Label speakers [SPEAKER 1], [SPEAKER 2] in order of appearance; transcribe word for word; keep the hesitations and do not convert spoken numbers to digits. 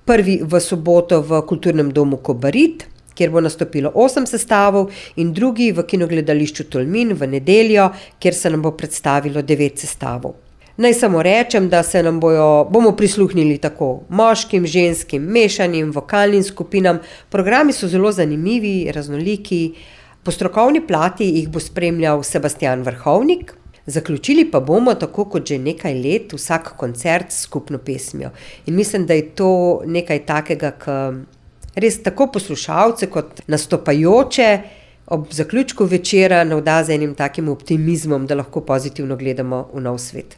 [SPEAKER 1] Prvi v soboto v Kulturnem domu Kobarid, kjer bo nastopilo osem sestavov, in drugi v Kinogledališču Tolmin v nedeljo, kjer se nam bo predstavilo devet sestavov. Naj samo rečem, da se nam bojo, bomo prisluhnili tako moškim, ženskim, mešanim, vokalnim skupinam. Programi so zelo zanimivi, raznoliki. Po strokovni plati jih bo spremljal Sebastijan Vrhovnik. Zaključili pa bomo, tako kot že nekaj let, vsak koncert s skupno pesmijo. In mislim, da je to nekaj takega, ki res tako poslušalce kot nastopajoče ob zaključku večera navda z enim takim optimizmom, da lahko pozitivno gledamo v nov svet.